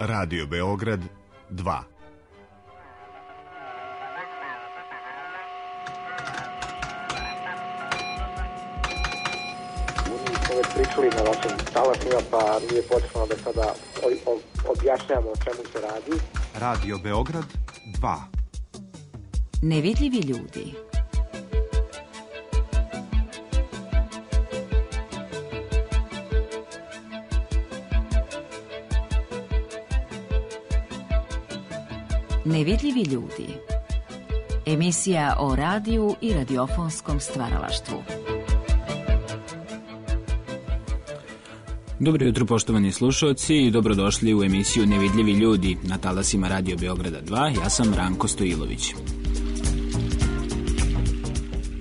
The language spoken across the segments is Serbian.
Radio Beograd 2. Smo već pričali na vašim talasima, pa nije potrebno da sada objašnjamo o čemu se radi. Radio Beograd 2. Nevidljivi ljudi. Nevidljivi ljudi. Emisija o radiju i radiofonskom stvaralaštvu. Dobro jutro, poštovani slušalci, i dobrodošli u emisiju Nevidljivi ljudi na talasima Radio Beograda 2. Ja sam Ranko Stojilović.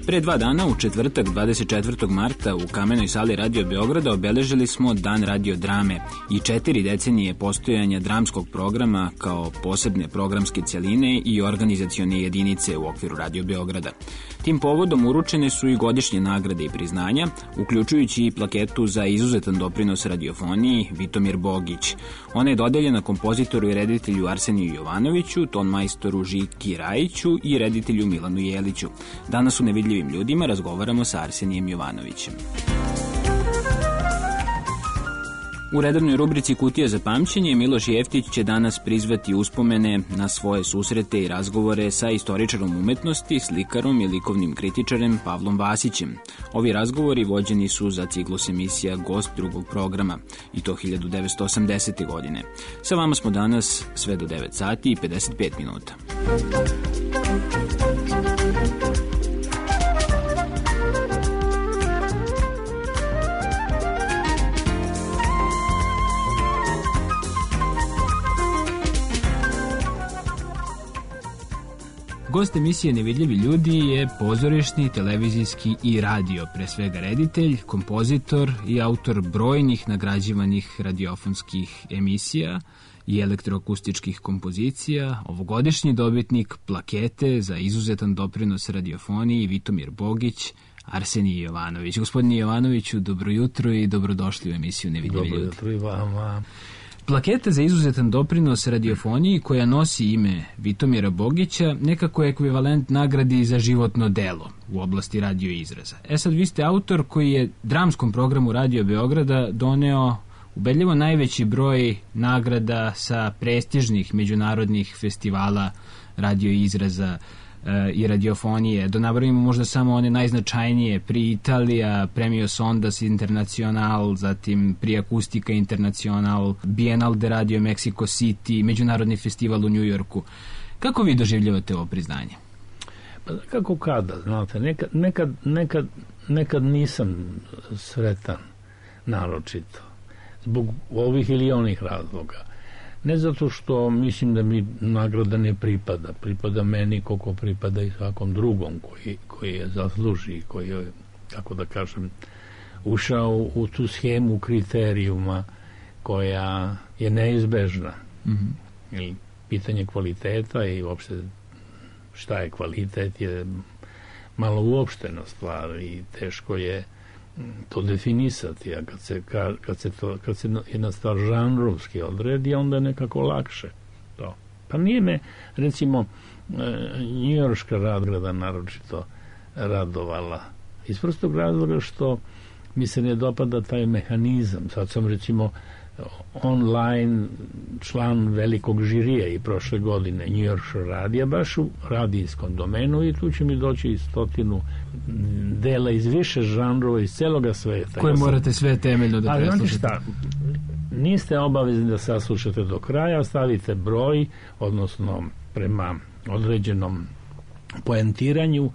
Pre 2 dana, u četvrtak 24. marta, u Kamenoj sali Radio Beograda obeležili smo Dan radiodrame i 4 decenije postojanja dramskog programa kao posebne programske celine i organizacione jedinice u okviru Radio Beograda. Tim povodom uručene su i godišnje nagrade i priznanja, uključujući i plaketu za izuzetan doprinos radiofoniji Vitomir Bogić. Ona je dodeljena kompozitoru i reditelju Arseniju Jovanoviću, tonmajstoru Žiki Rajiću i reditelju Milanu Jeliću. Danas u Nevidljivim ljudima razgovaramo sa Arsenijem Jovanovićem. U redovnoj rubrici Kutija za pamćenje Miloš Jeftić će danas prizvati uspomene na svoje susrete i razgovore sa istoričarom umetnosti, slikarom i likovnim kritičarem Pavlom Vasićem. Ovi razgovori vođeni su za ciklus emisija Gost drugog programa, i to 1980. godine. Sa vama smo danas sve do 9 sati i 55 minuta. Gost emisije Nevidljivi ljudi je pozorišni, televizijski i radio, pre svega reditelj, kompozitor i autor brojnih nagrađivanih radiofonskih emisija i elektroakustičkih kompozicija, ovogodišnji dobitnik plakete za izuzetan doprinos radiofoniji Vitomir Bogić, Arsenij Jovanović. Gospodine Jovanoviću, dobro jutro i dobrodošli u emisiju Nevidljivi ljudi. Dobro jutro i vama. Plaketa za izuzetan doprinos radiofoniji, koja nosi ime Vitomira Bogića, nekako je ekvivalent nagradi za životno delo u oblasti radio izraza. Sad, vi ste autor koji je dramskom programu Radio Beograda doneo ubedljivo najveći broj nagrada sa prestižnih međunarodnih festivala radio izraza i radiofonije. Da nabrojimo možda samo one najznačajnije: Pri Italija, Premios Ondas Internacional, zatim Pri Akustika Internacional, Bienal de Radio Mexico City, Međunarodni festival u Njujorku. Kako vi doživljavate ovo priznanje? Pa kako kada, znate, nekad nisam sretan naročito zbog ovih ili onih razloga. Ne zato što mislim da mi nagrada ne pripada meni koliko pripada i svakom drugom koji je zasluži, koji je, kako da kažem, ušao u tu schemu kriterijuma koja je neizbežna. Mm-hmm. Pitanje kvaliteta i uopšte šta je kvalitet je malo uopštena stvar i teško je to definisati, a kad se jedna stvar žanrovski odredi, onda je nekako lakše to. Pa nije me, recimo, njujorška nagrada naročito radovala iz prostog razloga što mi se ne dopada taj mehanizam. Sad sam, recimo, online član velikog žirija i prošle godine njujorškog radija, baš u radijskom domenu, i tu će mi doći 100 dela iz više žanrova iz celoga sveta. Koje morate sve temeljno da preslušate. Ali niste obavezni da saslušate do kraja, stavite broj, odnosno prema određenom poentiranju,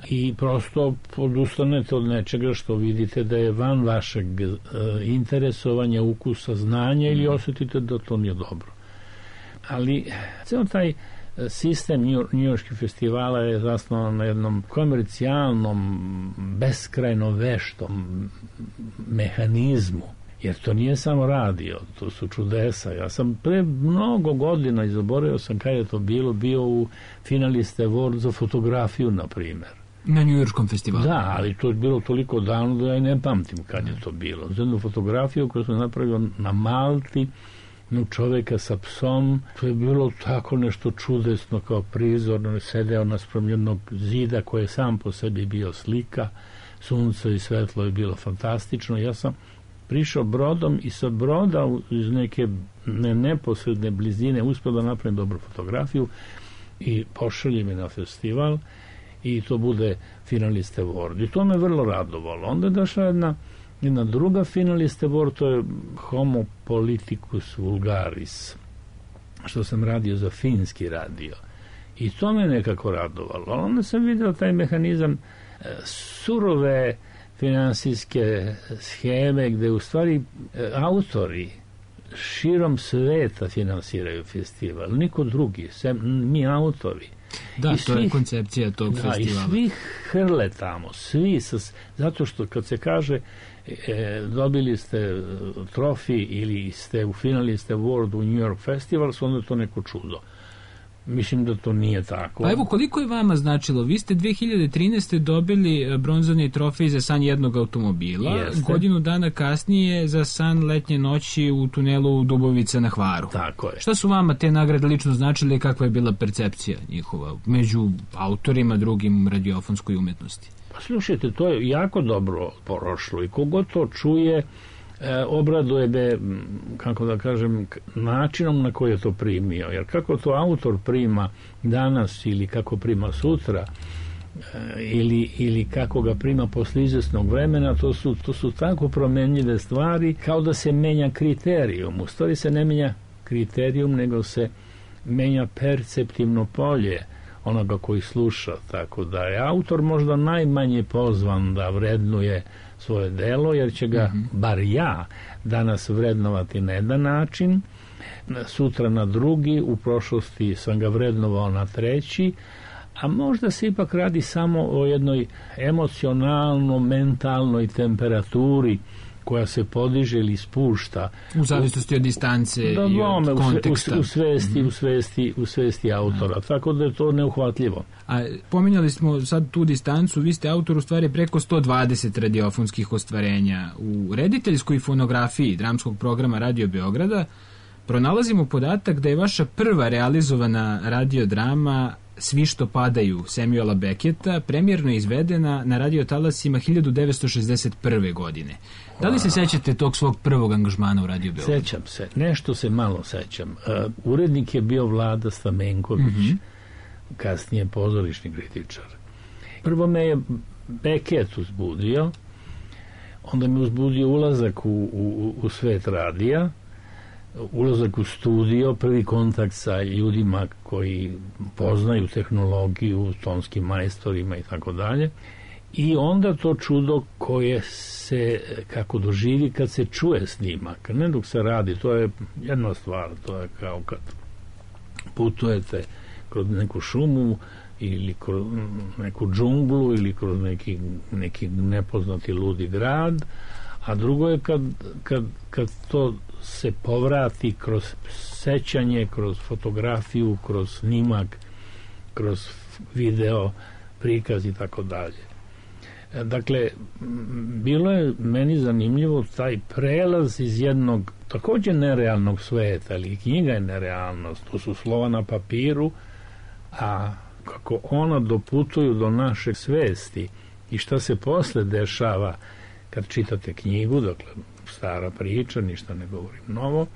i prosto odustanete od nečega što vidite da je van vašeg interesovanja, ukusa, znanja, ili osjetite da to nije dobro. Ali ceo taj sistem njujorških festivala je zasnovan na jednom komercijalnom, beskrajno veštom mehanizmu, jer to nije samo radio, to su čudesa. Ja sam pre mnogo godina, zaboravio sam kada je to bilo, bio u finaliste Award za fotografiju, na primjer. Na Njujorškom festivalu. Da, ali to je bilo toliko davno da ja ne pamtim kad je to bilo. Za jednu fotografiju koju sam napravio na Malti čoveka sa psom. To je bilo tako nešto čudesno kao prizor. On je sedeo naspram jednog zida koji je sam po sebi bio slika. Sunce i svetlo je bilo fantastično. Ja sam prišao brodom i sa broda iz neke neposredne blizine uspio da napravim dobru fotografiju i pošalje me na festival i to bude finaliste award. I to me vrlo radovalo. Onda je došla jedna druga finaliste award, to je Homo politicus vulgaris, što sam radio za finski radio. I to me nekako radovalo. Onda sam vidio taj mehanizam surove finansijske scheme gde u stvari autori širom sveta finansiraju festival, niko drugi, sem mi autori. Da, to je koncepcija tog festivala. I svi hrle tamo, zato što kad se kaže dobili ste trofij ili ste u finaliste award u New York Festival, onda je to neko čudo. Mislim da to nije tako. Pa evo, koliko je vama značilo? Vi ste 2013. dobili bronzani trofej za san jednog automobila. Jeste. Godinu dana kasnije za san letnje noći u tunelu Dubovica na Hvaru. Tako je. Šta su vama te nagrade lično značile i kakva je bila percepcija njihova među autorima drugim radiofonskoj umetnosti? Pa slušajte, to je jako dobro prošlo i kogod to čuje obraduje me, kako da kažem, načinom na koji je to primio. Jer kako to autor prima danas ili kako prima sutra ili kako ga prima posle izvesnog vremena, to su tako promenljive stvari, kao da se menja kriterijum. U stvari se ne menja kriterijum, nego se menja perceptivno polje onoga koji sluša. Tako da je autor možda najmanje pozvan da vrednuje svoje delo, jer će ga, bar ja, danas vrednovati na jedan način, sutra na drugi, u prošlosti sam ga vrednovao na treći, a možda se ipak radi samo o jednoj emocionalno-mentalnoj temperaturi koja se podiže ili spušta. U zavisnosti od distance i od konteksta. U svesti autora, tako da je to neuhvatljivo. A pominjali smo sad tu distancu, vi ste autor u stvari preko 120 radiofonskih ostvarenja. U rediteljskoj fonografiji dramskog programa Radio Beograda pronalazimo podatak da je vaša prva realizovana radiodrama Svi što padaju Samuela Becketa premijerno izvedena na radiotalasima 1961. godine. Da li se sećate tog svog prvog angažmana u Radio Beogradu? Sećam se, nešto se malo sećam. Urednik je bio Vlada Stamenković, kasnije pozorišni kritičar. Prvo me je Beckett uzbudio, onda me uzbudio ulazak u svet radija, ulazak u studio, prvi kontakt sa ljudima koji poznaju tehnologiju, tonskim majstorima i tako dalje. I onda to čudo koje se kako doživi kad se čuje snimak, ne dok se radi, to je jedna stvar, to je kao kad putujete kroz neku šumu ili kroz neku džunglu ili kroz neki nepoznati ludi grad, a drugo je kad to se povrati kroz sećanje, kroz fotografiju, kroz snimak, kroz video, prikaz i tako dalje. Dakle, bilo je meni zanimljivo taj prelaz iz jednog također nerealnog sveta, ali knjiga je nerealnost, to su slova na papiru, a kako ona doputuju do naše svesti i šta se posle dešava kad čitate knjigu, dakle stara priča, ništa ne govorim novo,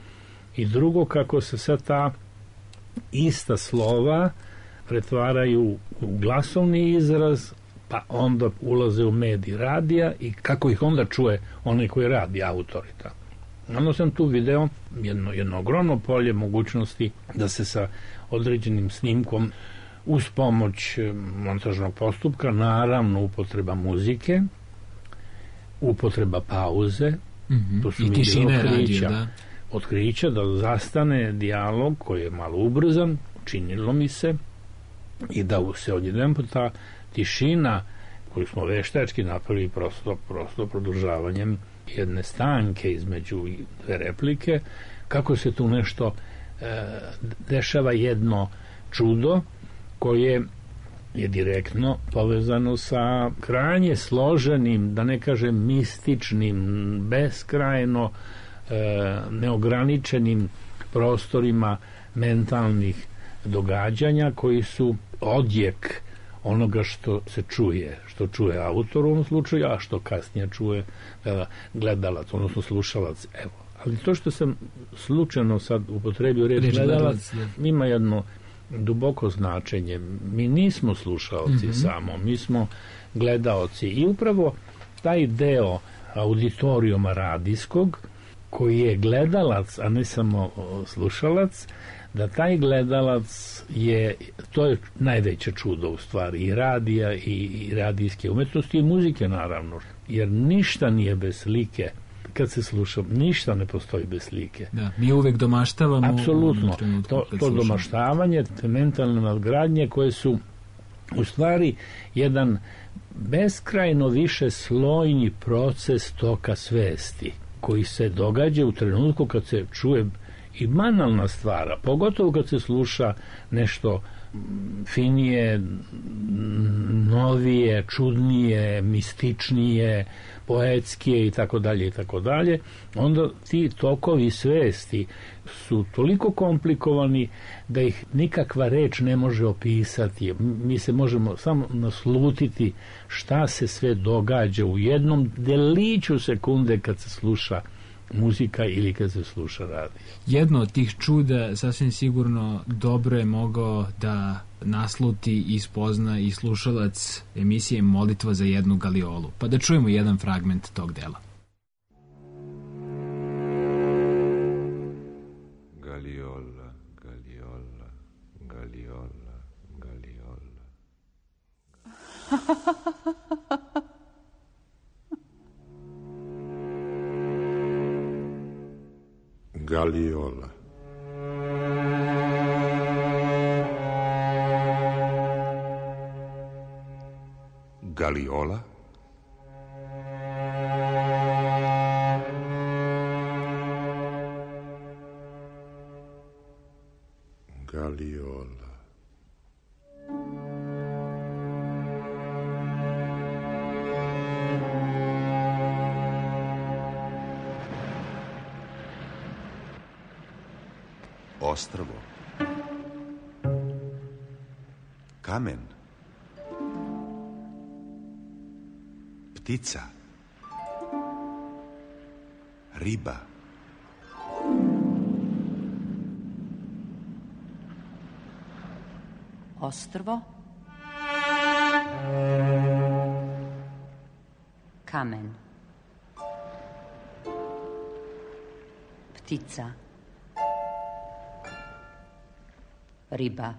i drugo kako se sad ta ista slova pretvaraju u glasovni izraz, pa onda ulaze u medij radija i kako ih onda čuje onaj koji radi, autorita. Onda sam tu video jedno ogromno polje mogućnosti da se sa određenim snimkom uz pomoć montažnog postupka, naravno upotreba muzike, upotreba pauze, to su i tišine radio, da. Otkrića da zastane dijalog koji je malo ubrzan, činilo mi se, i da se odjednom ta tišina koju smo veštački napravili prosto produžavanjem jedne stanke između dve replike, kako se tu nešto dešava, jedno čudo koje je direktno povezano sa krajnje složenim, da ne kažem mističnim, beskrajno neograničenim prostorima mentalnih događanja koji su odjek onoga što se čuje, što čuje autor u ovom slučaju, a što kasnije čuje gledalac, odnosno slušalac. Evo. Ali to što sam slučajno sad upotrebio reč gledalac ima jedno duboko značenje. Mi nismo slušaoci samo, mi smo gledaoci i upravo taj deo auditorijuma radijskog koji je gledalac, a ne samo slušalac, da taj gledalac to je najveće čudo u stvari i radija i radijske umetnosti i muzike naravno, jer ništa nije bez slike. Kad se sluša, ništa ne postoji bez slike. Da, mi uvek domaštavamo. Apsolutno. To domaštavanje, te mentalne nadgradnje koje su u stvari jedan beskrajno više slojni proces toka svesti koji se događa u trenutku kad se čuje i banalna stvara, pogotovo kad se sluša nešto finije, novije, čudnije, mističnije, poetskije i tako dalje, onda ti tokovi svesti su toliko komplikovani da ih nikakva reč ne može opisati. Mi se možemo samo naslutiti šta se sve događa u jednom deliću sekunde kad se sluša muzika ili kad se sluša radio. Jedno od tih čuda sasvim sigurno dobro je mogao da nasluti i spozna i slušalac emisije Molitva za jednu galiolu. Pa da čujemo jedan fragment tog dela. Galiola, galiola, galiola, galiola. Galiola. Galiola? Galiola. Ostrvo. Kamen. Ptica. Riba. Ostrvo. Kamen. Ptica. Riba.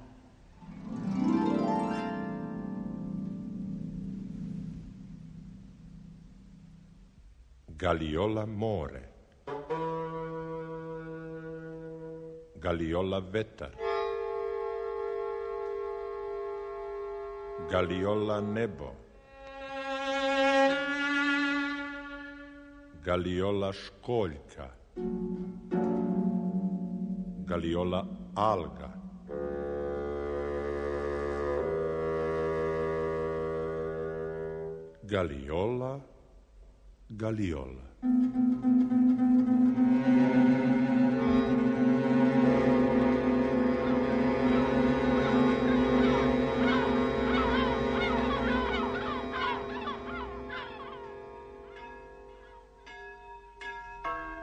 Galiola more. Galiola vetar. Galiola nebo. Galiola školjka. Galiola alga. Galiola, galiola.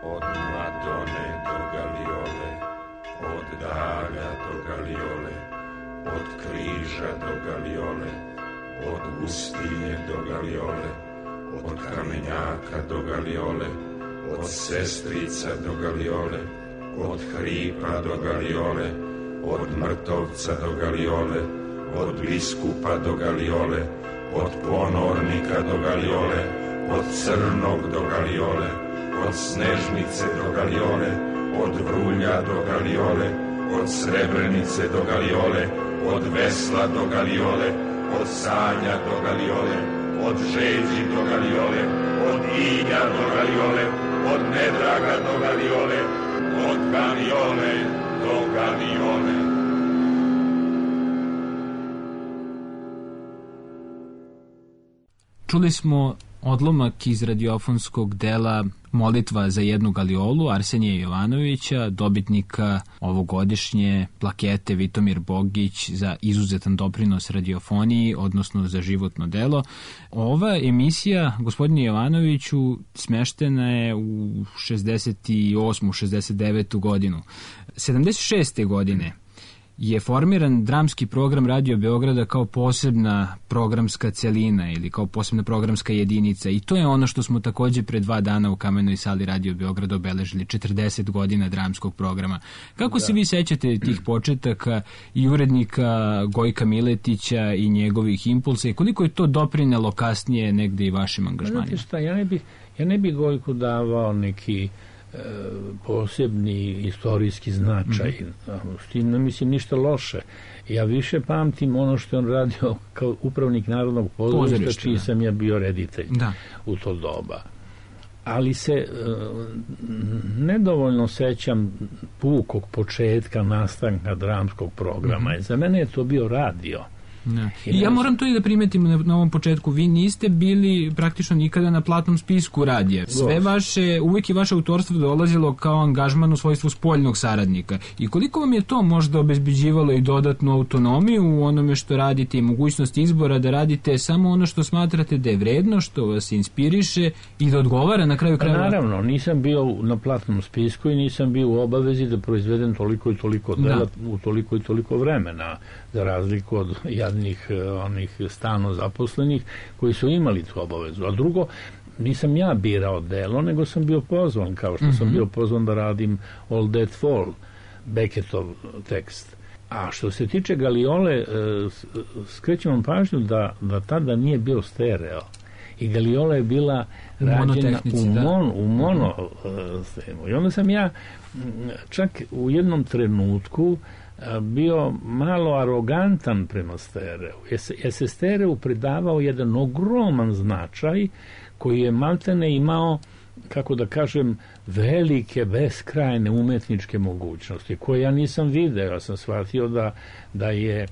Od Madone do galiole, od dalja do galiole, od križa do galiole, od pustinje do galiole, od kamenjaka do galiole, od sestrica do galiole, od hripa do galiole, od mrtovca do galiole, od biskupa do galiole, od ponornika do galiole, od crnog do galiole, od snežnice do galiole, od vrulja do galiole, od srebrenice do galiole, od vesla do galiole, od sanja do galiole, od žeđi do galiole, od ilja do galiole, od nedraga do galiole, od galiole do galiole. Čuli smo odlomak iz radiofonskog dela Molitva za jednu galiolu Arsenija Jovanovića, dobitnika ovogodišnje plakete Vitomir Bogić za izuzetan doprinos radiofoniji, odnosno za životno delo. Ova emisija, gospodine Jovanoviću, smeštena je u 68. 69. godinu. 76. godine je formiran dramski program Radio Beograda kao posebna programska celina ili kao posebna programska jedinica i to je ono što smo takođe pre 2 dana u Kamenoj sali Radio Beograda obeležili, 40 godina dramskog programa. Kako se vi sećate tih početaka i urednika Gojka Miletića i njegovih impulsa i koliko je to doprinelo kasnije negde i vašim angažmanima? Znate šta, ja ne bih Gojku davao neki posebni istorijski značaj. S tim ne mislim ništa loše. Ja više pamtim ono što je on radio kao upravnik Narodnog pozorišta, čiji sam ja bio reditelj u to doba. Ali se nedovoljno sećam pukog početka nastanka dramskog programa. Za mene je to bio radio. I ja moram to i da primetim na ovom početku, vi niste bili praktično nikada na platnom spisku radija. Sve uvijek je vaše autorstvo dolazilo kao angažman u svojstvu spoljnog saradnika. I koliko vam je to možda obezbeđivalo i dodatnu autonomiju u onome što radite i mogućnost izbora da radite samo ono što smatrate da je vredno, što vas inspiriše i da odgovara na kraju krajeva? Naravno, nisam bio na platnom spisku i nisam bio u obavezi da proizvedem toliko i toliko dela u toliko i toliko vremena, za razliku od onih stalno zaposlenih koji su imali tu obavezu. A drugo, nisam ja birao delo, nego sam bio pozvan, kao što sam bio pozvan da radim All That Fall, Beckettov tekst. A što se tiče Galiole, skrećem vam pažnju da tada nije bio stereo. I Galiola je bila rađena u mono. I onda sam ja čak u jednom trenutku bio malo arogantan prema stereu. Jer se stereu pridavao jedan ogroman značaj koji je maltene imao, kako da kažem, velike, beskrajne umetničke mogućnosti, koje ja nisam video. Ja sam shvatio da je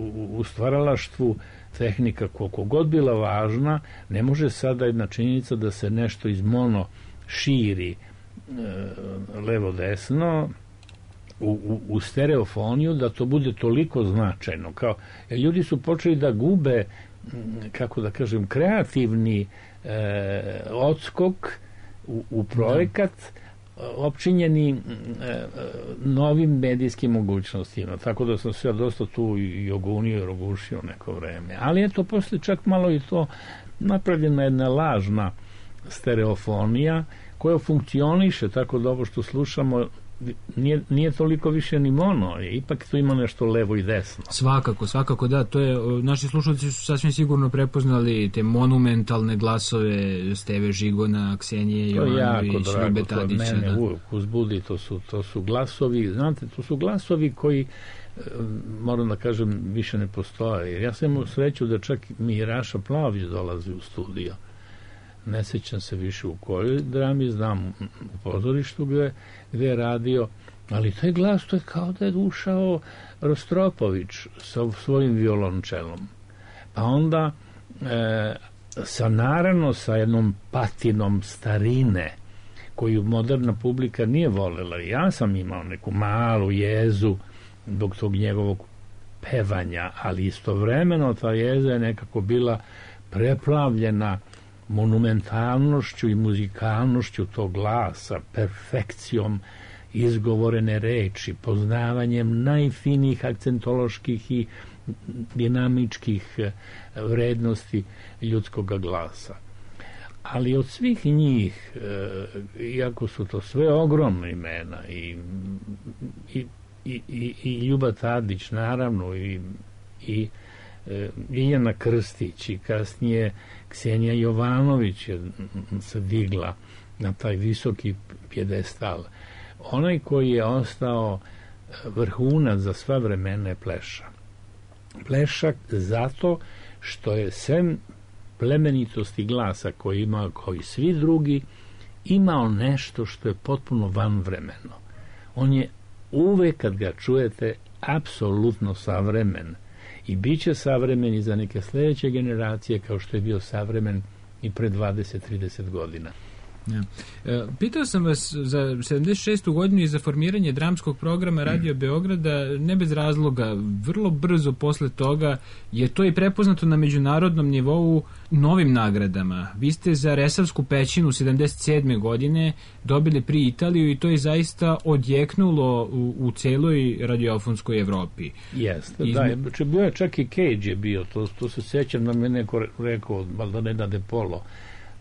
u stvaralaštvu tehnika koliko god bila važna, ne može sada jedna činjenica da se nešto iz mono širi levo-desno u stereofoniju, da to bude toliko značajno. Jer ljudi su počeli da gube, kako da kažem, kreativni odskok u projekat opčinjeni novim medijskim mogućnostima. Tako da sam se ja dosta tu i ogunio i rogušio neko vreme. Ali eto, posle čak malo i to napravljena jedna lažna stereofonija koja funkcioniše tako da ovo što slušamo nije toliko više ni mono, ipak tu ima nešto levo i desno. Svakako, da, to je, naši slušalci su sasvim sigurno prepoznali te monumentalne glasove Steve Žigona, Ksenije Jovanović, Ljube Tadića. To je mene uvijek uzbudi, to su glasovi, znate, to su glasovi koji, moram da kažem, više ne postoje. Jer ja sam imao sreću da čak mi Raša Plavić dolazi u studio. Ne sećam se više u kojoj drami, znam u pozorištu gde je radio, ali taj glas, to je kao da je ušao Rostropović sa svojim violončelom. Pa onda naravno sa jednom patinom starine koju moderna publika nije volela. Ja sam imao neku malu jezu zbog tog njegovog pevanja, ali istovremeno ta jeza je nekako bila preplavljena monumentalnošću i muzikalnošću tog glasa, perfekcijom izgovorene reči, poznavanjem najfinijih akcentoloških i dinamičkih vrednosti ljudskog glasa. Ali od svih njih, iako su to sve ogromne imena, i Ljuba Tadić, naravno, i Ljiljana Krstić i kasnije Ksenija Jovanović je se digla na taj visoki pjedestal. Onaj koji je ostao vrhunac za sva vremena je Pleša. Pleša zato što je sem plemenitosti glasa koji ima kao i svi drugi, imao nešto što je potpuno vanvremeno. On je uvek kad ga čujete apsolutno savremen i bit će savremen i za neke sljedeće generacije kao što je bio savremen i pre 20-30 godina. Ja. Pitao sam vas za 76. godinu i za formiranje dramskog programa Radio Beograda, ne bez razloga, vrlo brzo posle toga je to i prepoznato na međunarodnom nivou novim nagradama. Vi ste za Resavsku pećinu 77. godine dobili pri Italiju i to je zaista odjeknulo u celoj radiofonskoj Evropi. Jeste, da, bio je čak i Cage je bio, to se sjećam da mi je neko rekao, valjda ne da Polo,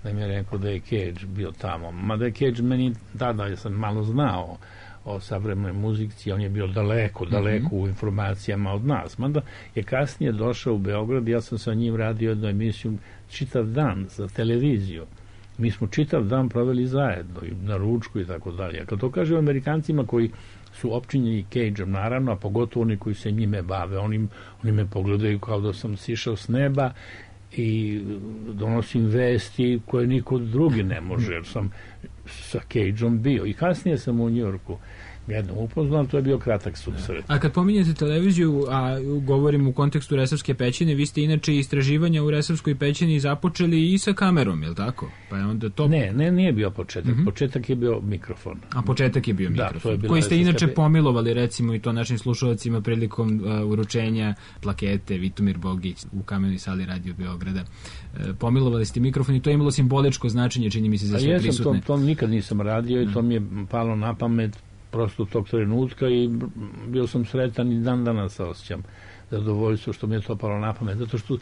da mi je rekao da je Cage bio tamo. Mada je Cage meni tada, ja sam malo znao o savremenoj muzici, on je bio daleko u informacijama od nas. Mada je kasnije došao u Beograd, ja sam sa njim radio jednu emisiju čitav dan za televiziju. Mi smo čitav dan proveli zajedno i na ručku i tako dalje. Kad to kažem Amerikancima koji su opčinjeni Cage-om, naravno, a pogotovo oni koji se njime bave, oni me pogledaju kao da sam sišao s neba i donosim vesti koje niko drugi ne može, jer sam sa Cage-om bio. I kasnije sam u Njujorku jednom upoznao, to je bio kratak susret. A kad pominjete televiziju, a govorim u kontekstu Resavske pećine, vi ste inače istraživanja u Resavskoj pećini započeli i sa kamerom, je li tako? Pa je onda to... Ne, nije bio početak. Početak je bio mikrofon. A početak je bio mikrofon. Da, koji ste inače pomilovali, recimo, i to našim slušalcima prilikom uručenja plakete Vitomir Bogić u Kamenoj sali Radio Beograda. Pomilovali ste mikrofon i to je imalo simboličko značenje, čini mi se, za sve prisutne. To nikad nisam radio i to mi je palo na pamet prosto tog trenutka i bio sam sretan i dan danas se osjećam zadovoljstvo što mi je to palo na pamet, zato što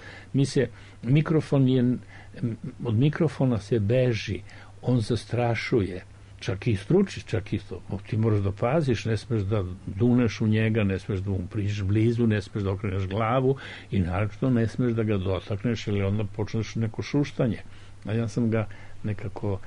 od mikrofona se beži, on zastrašuje, čak i struči, čak i to, ti moraš da paziš, ne smeš da duneš u njega, ne smeš da mu priđeš blizu, ne smeš da okreneš glavu i naravno ne smeš da ga dotakneš ili onda počneš neko šuštanje. A ja sam ga nekako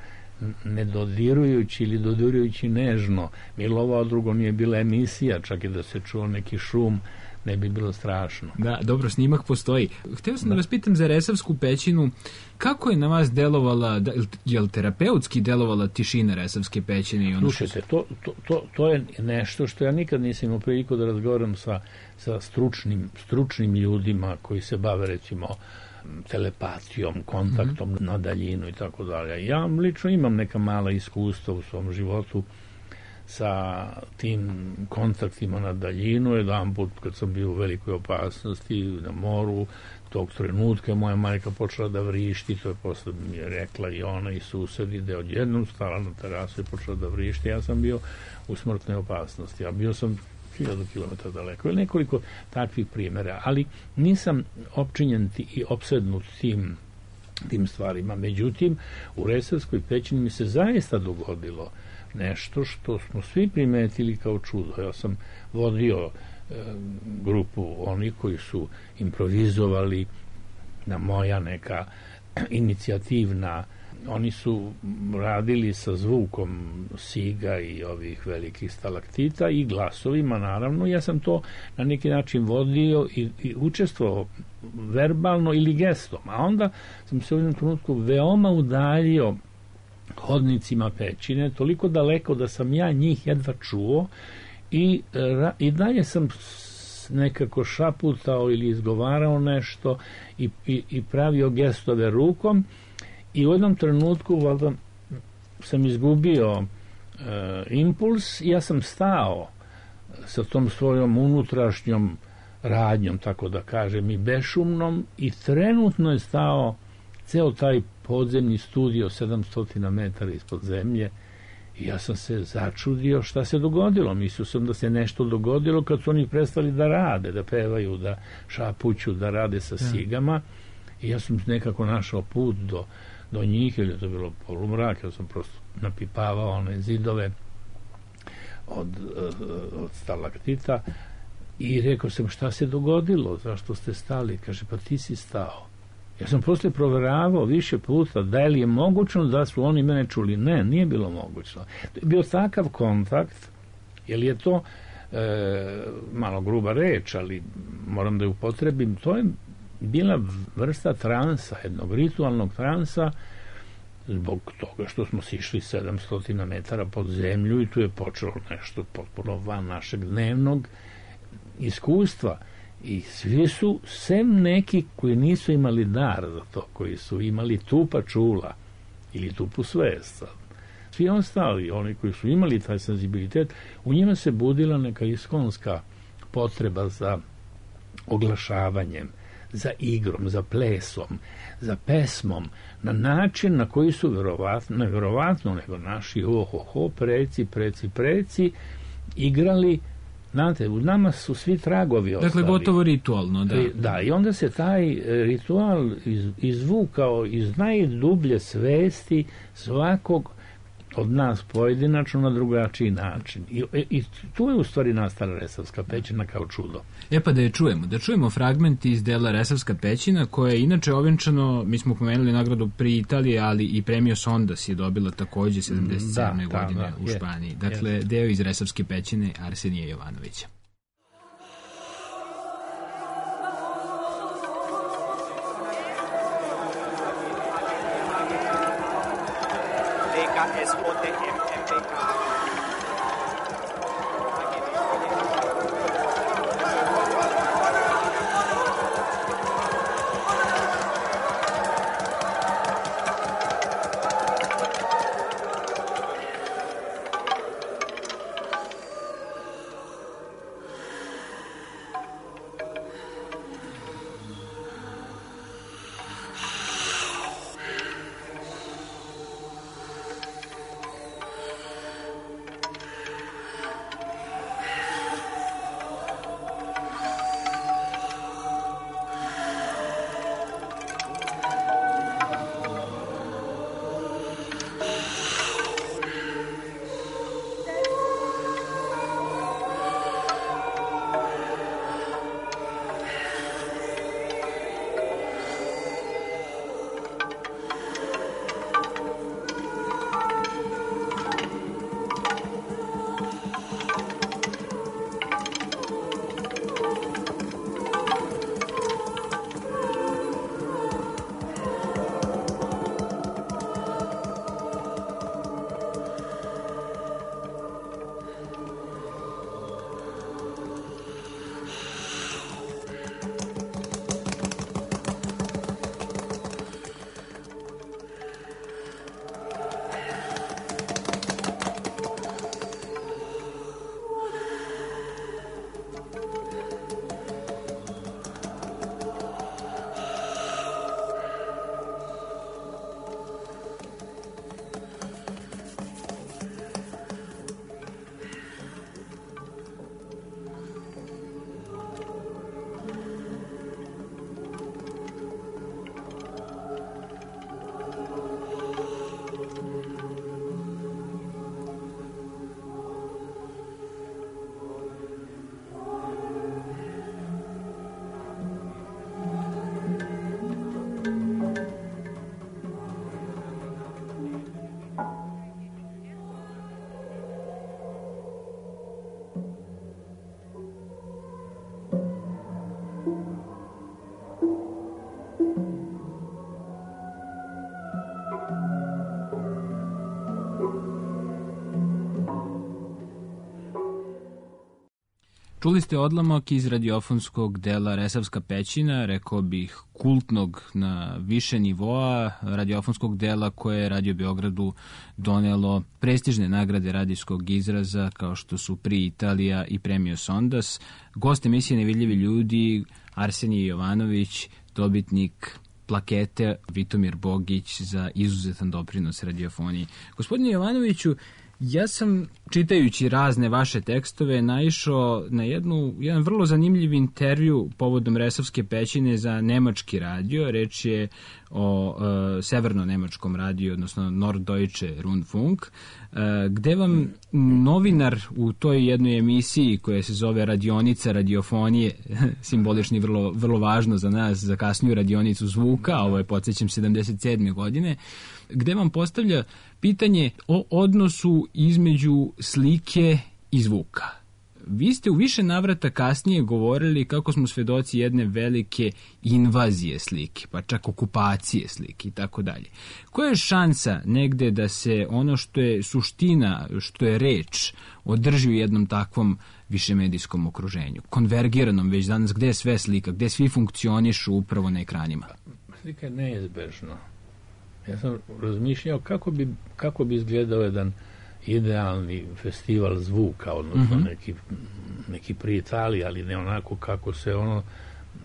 ne dodirujući ili dodirujući nežno milovao, drugo nije bila emisija, čak i da se čuo neki šum ne bi bilo strašno. Da, dobro, snimak postoji. Hteo sam da vas pitam za Resavsku pećinu, kako je na vas delovala, je li terapeutski delovala tišina Resavske pećine? Slušajte, to je nešto što ja nikad nisam imao priliku da razgovaram sa stručnim ljudima koji se bave, recimo, telepatijom, kontaktom na daljinu i tako dalje. Ja lično imam neka mala iskustva u svom životu sa tim kontaktima na daljinu. Jedan put kad sam bio u velikoj opasnosti na moru, tog trenutka moja majka počela da vrišti, to je posle mi je rekla i ona i susedi, da je odjednom stala na terasu i počela da vrišti. Ja sam bio u smrtnoj opasnosti, a bio sam 1000 km daleko, ili nekoliko takvih primjera, ali nisam opčinjen i opsednut tim stvarima. Međutim, u Resavskoj pećini mi se zaista dogodilo nešto što smo svi primetili kao čudo. Ja sam vodio grupu onih koji su improvizovali na moja neka inicijativna. Oni su radili sa zvukom siga i ovih velikih stalaktita i glasovima, naravno. Ja sam to na neki način vodio i učestvovao verbalno ili gestom. A onda sam se u jednom trenutku veoma udaljio hodnicima pećine, toliko daleko da sam ja njih jedva čuo i dalje sam nekako šaputao ili izgovarao nešto i pravio gestove rukom. I u jednom trenutku valjda sam izgubio impuls i ja sam stao sa tom svojom unutrašnjom radnjom, tako da kažem, i bešumnom, i trenutno je stao ceo taj podzemni studio 700 metara ispod zemlje i ja sam se začudio šta se dogodilo. Mislio sam da se nešto dogodilo kad su oni prestali da rade, da pevaju, da šapuću, da rade sa sigama i ja sam nekako našao put do njih, ili je to bilo polumrak, ja sam prosto napipavao one zidove od stalaktita i rekao sam šta se dogodilo, zašto ste stali? Kaže, pa ti si stao. Ja sam posle proveravao više puta da li je mogućno da su oni mene čuli. Ne, nije bilo mogućno. To je bio takav kontakt, jer je to malo gruba reč, ali moram da je upotrebim, to je bila vrsta transa, jednog ritualnog transa, zbog toga što smo sišli 700 metara pod zemlju i tu je počelo nešto potpuno van našeg dnevnog iskustva. I svi su, sem neki koji nisu imali dar za to, koji su imali tupa čula ili tupu svest. Svi ostali, oni koji su imali taj senzibilitet, u njima se budila neka iskonska potreba za oglašavanjem, za igrom, za plesom, za pesmom, na način na koji su nevjerovatno nego naši preci igrali. Znate, u nama su svi tragovi ostali. Dakle, gotovo ritualno, da. Da, i onda se taj ritual izvukao iz najdublje svesti svakog od nas pojedinačno na drugačiji način. I tu je u stvari nastala Resavska pećina kao čudo. Pa da čujemo fragment iz dela Resavska pećina, koja je inače ovenčano, mi smo pomenuli nagradu pri Italiji, ali i premio Sondas je dobila takođe 77. godine u Španiji. Dakle, deo iz Resavske pećine Arsenija Jovanovića. Čuli ste odlomak iz radiofonskog dela Resavska pećina, rekao bih kultnog na više nivoa, radiofonskog dela koje je Radio Beogradu donelo prestižne nagrade radijskog izraza kao što su Pri Italija i premio Sondas. Gost emisije Nevidljivi ljudi, Arsenije Jovanović, dobitnik plakete Vitomir Bogić za izuzetan doprinos radiofoniji. Gospodine Jovanoviću, ja sam, čitajući razne vaše tekstove, naišao na jedan vrlo zanimljiv intervju povodom Resavske pećine za nemački radio. Reč je o severno-nemačkom radiju, odnosno Norddeutsche Rundfunk, gde vam novinar u toj jednoj emisiji koja se zove Radionica radiofonije, simbolični vrlo važno za nas, za kasniju radionicu zvuka, ovo je, podsjećam, 77. godine, gde vam postavlja pitanje o odnosu između slike i zvuka. Vi ste u više navrata kasnije govorili kako smo svedoci jedne velike invazije slike, pa čak okupacije slike i tako dalje. Koja je šansa negde da se ono što je suština, što je reč, održi u jednom takvom višemedijskom okruženju, konvergiranom već danas, gde je sve slika, gde svi funkcionišu upravo na ekranima? Slika je neizbežno. Ja sam razmišljao kako bi izgledao jedan idealni festival zvuka, odnosno neki pri Italiji, ali ne onako kako se ono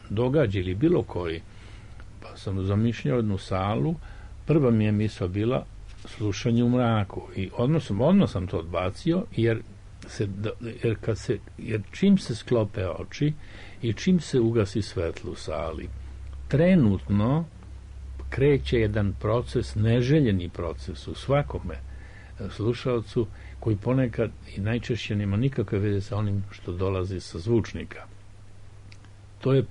događa ili bilo koji. Pa sam zamišljao jednu salu, prva mi je misao bila slušanje u mraku i odmah sam to odbacio, jer čim se sklope oči i čim se ugasi svetlo u sali, trenutno kreće jedan proces, neželjeni proces u svakome slušalcu, koji ponekad i najčešće nema nikakve veze sa onim što dolazi sa zvučnika. To je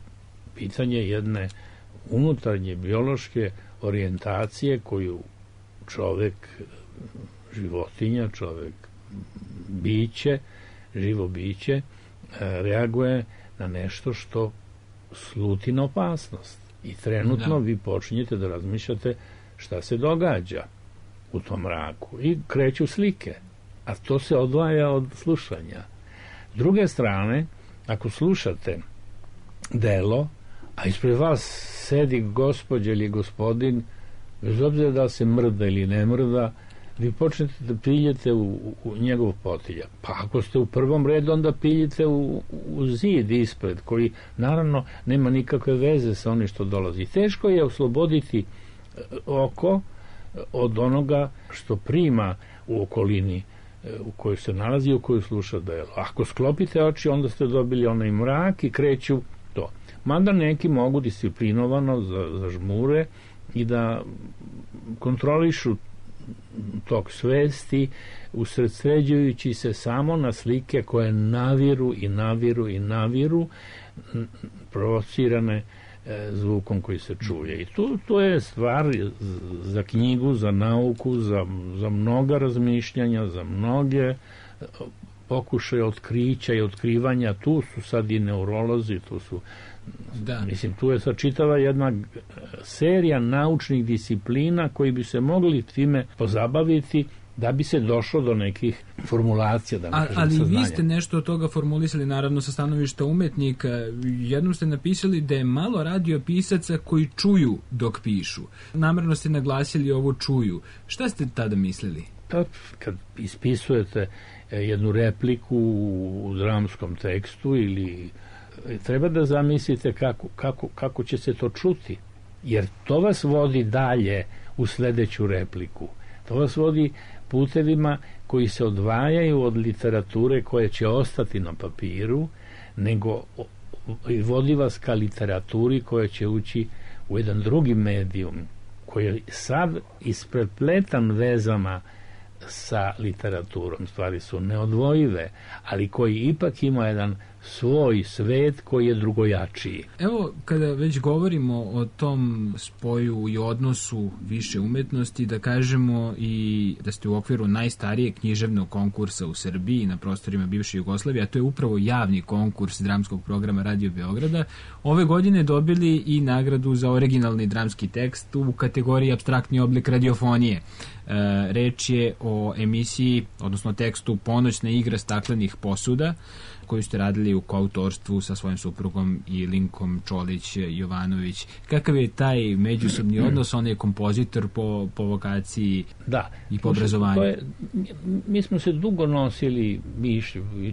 pitanje jedne unutarnje biološke orijentacije koju čovek, životinja, čovek biće, živo biće, reaguje na nešto što sluti na opasnost. I trenutno vi počinjete da razmišljate šta se događa u tom mraku i kreću slike, a to se odvaja od slušanja. S druge strane, ako slušate delo, a ispred vas sedi gospođa ili gospodin, bez obzira da se mrda ili ne mrda, vi počnete da piljete u njegov potiljak. Pa ako ste u prvom redu, onda piljete u zid ispred, koji naravno nema nikakve veze sa onim što dolazi. Teško je osloboditi oko od onoga što prima u okolini u kojoj se nalazi i u kojoj sluša delo. Ako sklopite oči, onda ste dobili onaj mrak i kreću to. Mada neki mogu disciplinovano zažmure i da kontrolišu tok svesti, usredsređujući se samo na slike koje naviru, provocirane zvukom koji se čuje. I to je stvar za knjigu, za nauku, za mnoga razmišljanja, za mnoge pokušaje otkrića i otkrivanja. Tu su sad i neurolozi, tu je sad čitava jedna serija naučnih disciplina koji bi se mogli time pozabaviti da bi se došlo do nekih formulacija. Ali vi ste nešto od toga formulisali, naravno sa stanovišta umetnika. Jednom ste napisali da je malo radiopisaca koji čuju dok pišu. Namerno ste naglasili ovo čuju. Šta ste tada mislili? Kad ispisujete jednu repliku u dramskom tekstu ili treba da zamislite kako će se to čuti, jer to vas vodi dalje u sledeću repliku. To vas vodi putevima koji se odvajaju od literature koja će ostati na papiru, nego vodi vas ka literaturi koja će ući u jedan drugi medijum, koji je sad isprepletan vezama sa literaturom. Stvari su neodvojive, ali koji ipak ima jedan svoj svet koji je drugojačiji. Evo, kada već govorimo o tom spoju i odnosu više umetnosti, da kažemo i da ste u okviru najstarijeg književnog konkursa u Srbiji na prostorima bivše Jugoslavije, a to je upravo javni konkurs dramskog programa Radio Beograda, ove godine dobili i nagradu za originalni dramski tekst u kategoriji apstraktni oblik radiofonije. Reč je o emisiji, odnosno tekstu Ponoćna igra staklenih posuda, koju ste radili u koautorstvu sa svojim suprugom i Linkom Čolić-Jovanović. Kakav je taj međusobni odnos? On je kompozitor po vokaciji i po obrazovanju. Mi smo se dugo nosili mišlju i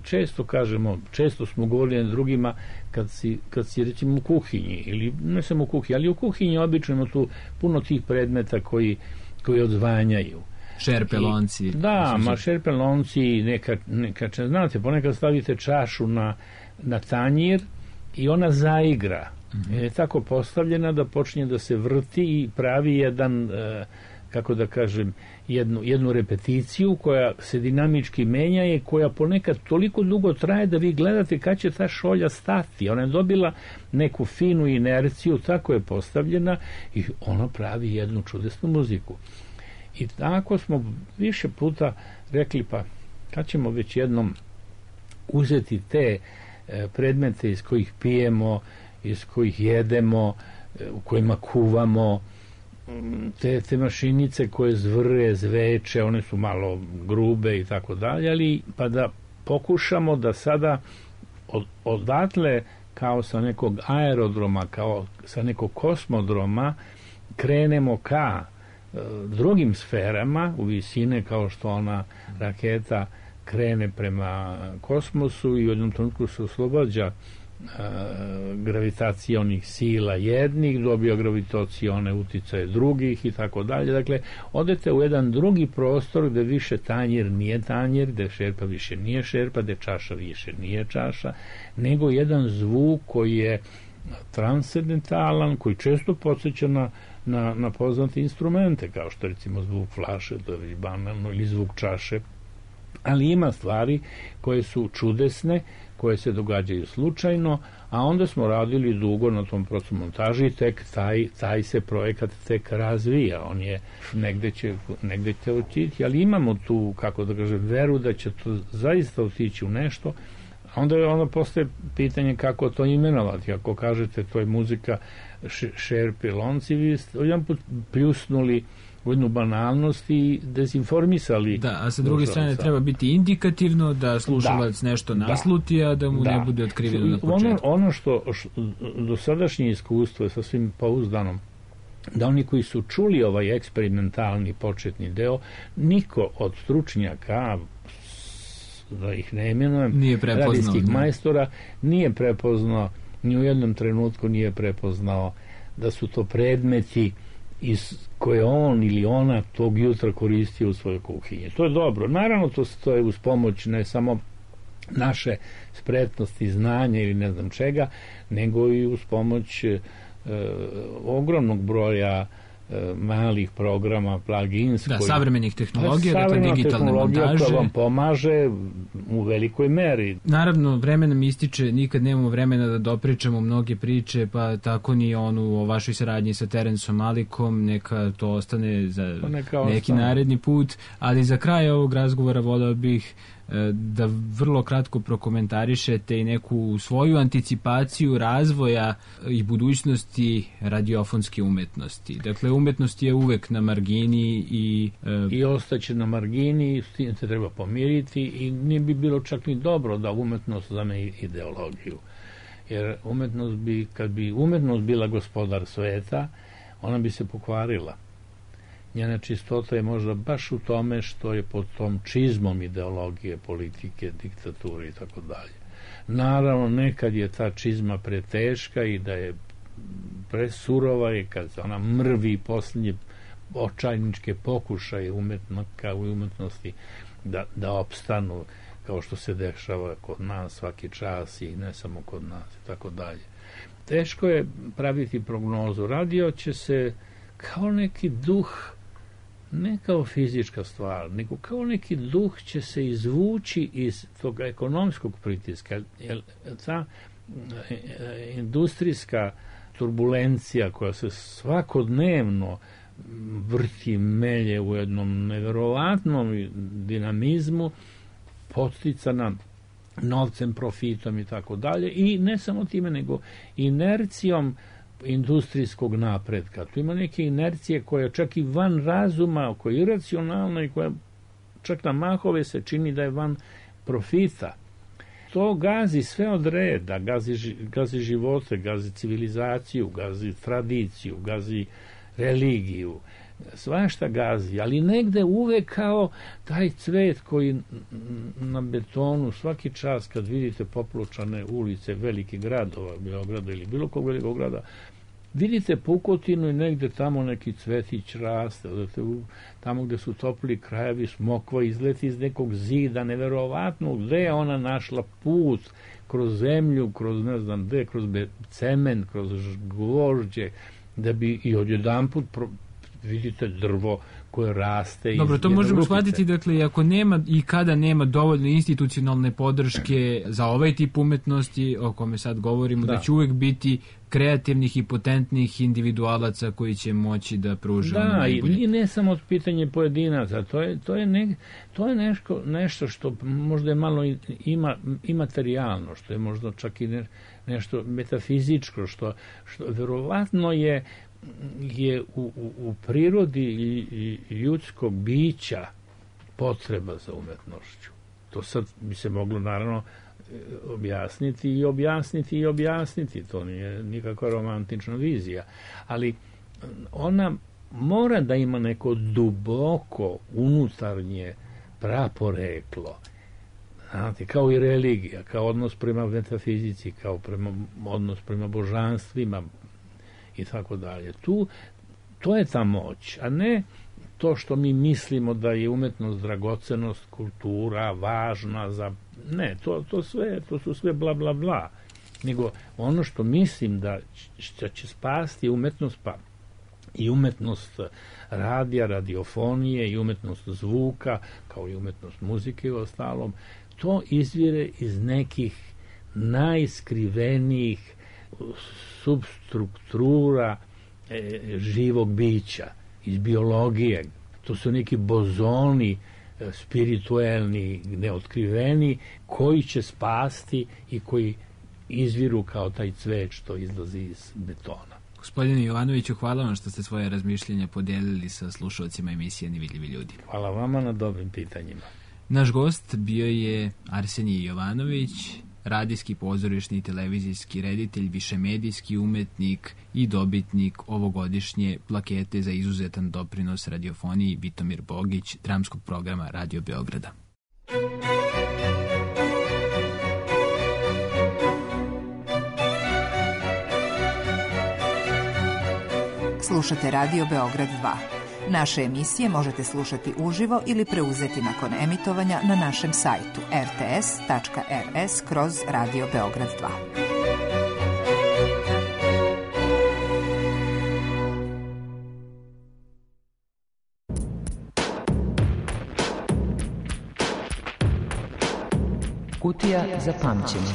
često smo govorili na drugima kad si recimo u kuhinji, ili ne samo u kuhinji, ali u kuhinji obično ima tu puno tih predmeta koji odzvanjaju. Šerpelonci. Šerpelonci, neka, znate, ponekad stavite čašu na tanjir i ona zaigra. Je tako postavljena da počinje da se vrti i pravi jedan, kako da kažem, jednu repeticiju koja se dinamički menja i koja ponekad toliko dugo traje da vi gledate kad će ta šolja stati. Ona je dobila neku finu inerciju, tako je postavljena i ona pravi jednu čudesnu muziku. I tako smo više puta rekli, pa kad ćemo već jednom uzeti te predmete iz kojih pijemo, iz kojih jedemo, u kojima kuvamo, te mašinice koje zvre, zveče, one su malo grube i tako dalje, ali pa da pokušamo da sada odatle kao sa nekog aerodroma, kao sa nekog kosmodroma krenemo ka drugim sferama u visine, kao što ona raketa krene prema kosmosu i u jednom trenutku se oslobađa gravitacionih sila jednih, dobija gravitacione uticaje drugih i tako dalje. Dakle, odete u jedan drugi prostor gde više tanjir nije tanjir, gde šerpa više nije šerpa, gde čaša više nije čaša, nego jedan zvuk koji je transcendentalan, koji često podsjeća na poznate instrumente, kao što recimo zvuk flaše, to je banalno, ili zvuk čaše, ali ima stvari koje su čudesne, koje se događaju slučajno, a onda smo radili dugo na tom procesu montaži i tek taj se projekat tek razvija. On je negde će otići, ali imamo tu, kako da kažem, veru da će to zaista otići u nešto. Onda postoje pitanje kako to imenovati. Ako kažete to je muzika šerpe lonci, vi ste jedan put pljusnuli u jednu banalnost i dezinformisali. Da, a sa druge strane treba biti indikativno da slušalac nešto nasluti, a da mu ne bude otkriveno na početku. Ono što dosadašnje iskustvo je sasvim pouzdano, da oni koji su čuli ovaj eksperimentalni početni deo, niko od stručnjaka, da ih ne imenujem, radijskih majstora, nije prepoznao, ni u jednom trenutku nije prepoznao da su to predmeti koje on ili ona tog jutra koristio u svojoj kuhinji. To je dobro. Naravno, to je uz pomoć ne samo naše spretnosti, znanja ili ne znam čega, nego i uz pomoć ogromnog broja malih programa, plugins. Savremenih tehnologija, dakle digitalne montaže. Koja vam pomaže u velikoj meri. Naravno, vreme nam ističe, nikad nemamo vremena da dopričamo mnoge priče, pa tako ni onu o vašoj saradnji sa Terensom Malikom, neka to ostane za neki naredni put, ali za kraj ovog razgovora voleo bih da vrlo kratko prokomentarišete i neku svoju anticipaciju razvoja i budućnosti radiofonske umetnosti. Dakle, umetnost je uvek na margini i ostaće na margini, s tim se treba pomiriti i nije bi bilo čak ni dobro da umetnost zame ideologiju. Jer kad bi umetnost bila gospodar sveta, ona bi se pokvarila. Njena čistota je možda baš u tome što je pod tom čizmom ideologije, politike, diktature i tako dalje. Naravno, nekad je ta čizma preteška i da je presurova i kad ona mrvi posljednje očajničke pokušaje umetnika u umetnosti da opstanu, kao što se dešava kod nas svaki čas i ne samo kod nas i tako dalje. Teško je praviti prognozu. Radio će se kao neki duh, ne kao fizička stvar, nego kao neki duh će se izvući iz tog ekonomskog pritiska. Jer ta industrijska turbulencija koja se svakodnevno vrti, melje u jednom neverovatnom dinamizmu, podsticana novcem, profitom i tako dalje, i ne samo time, nego inercijom industrijskog napretka. Tu ima neke inercije koja čak i van razuma, koja je iracionalna i koja čak na mahove se čini da je van profita. To gazi sve od reda, gazi živote, gazi civilizaciju, gazi tradiciju, gazi religiju, svašta gazi, ali negde uvek kao taj cvet koji na betonu svaki čas kad vidite popločane ulice velikih gradova, Beograda ili bilo kog velikog grada, vidite pukotinu i negde tamo neki cvetić raste, tamo gde su topli krajevi, smokva izleti iz nekog zida, neverovatno, gde je ona našla put kroz zemlju, kroz ne znam gde, kroz cement, kroz gvožđe, da bi i odjedanput vidite drvo koje raste. Dobro, to možemo shvatiti, dakle, ako nema i kada nema dovoljno institucionalne podrške za ovaj tip umetnosti o kome sad govorimo, da će uvek biti kreativnih i potentnih individualaca koji će moći da pruže ono najbolje. I ne samo pitanje pojedinaca, to je nešto što možda je malo imaterijalno, što je možda čak i nešto metafizičko, što verovatno je u prirodi ljudskog bića potreba za umetnošću. To sad bi se moglo naravno objasniti. To nije nikakva romantična vizija. Ali ona mora da ima neko duboko unutarnje praporeklo. Znate, kao i religija, kao odnos prema metafizici, kao odnos prema božanstvima i tako dalje. To je ta moć, a ne to što mi mislimo da je umetnost, dragocenost, kultura važna za... Ne, to su sve bla bla bla. Nego ono što mislim da će spasti umetnost, pa i umetnost radija, radiofonije i umetnost zvuka, kao i umetnost muzike i ostalom, to izvire iz nekih najskrivenijih substruktura živog bića, iz biologije. To su neki bozoni spirituelni, neotkriveni, koji će spasti i koji izviru kao taj cvet što izlazi iz betona. Gospodine Jovanoviću, hvala vam što ste svoje razmišljenja podijelili sa slušalcima emisije Nevidljivi ljudi. Hvala vama na dobrim pitanjima. Naš gost bio je Arsenije Jovanović, radijski, pozorišni i televizijski reditelj, višemedijski umetnik i dobitnik ovogodišnje plakete za izuzetan doprinos radiofoniji Vitomir Bogić, dramskog programa Radio Beograda. Slušate Radio Beograd 2. Naše emisije možete slušati uživo ili preuzeti nakon emitovanja na našem sajtu rts.rs/Radio Beograd 2. Kutija za pamćenje.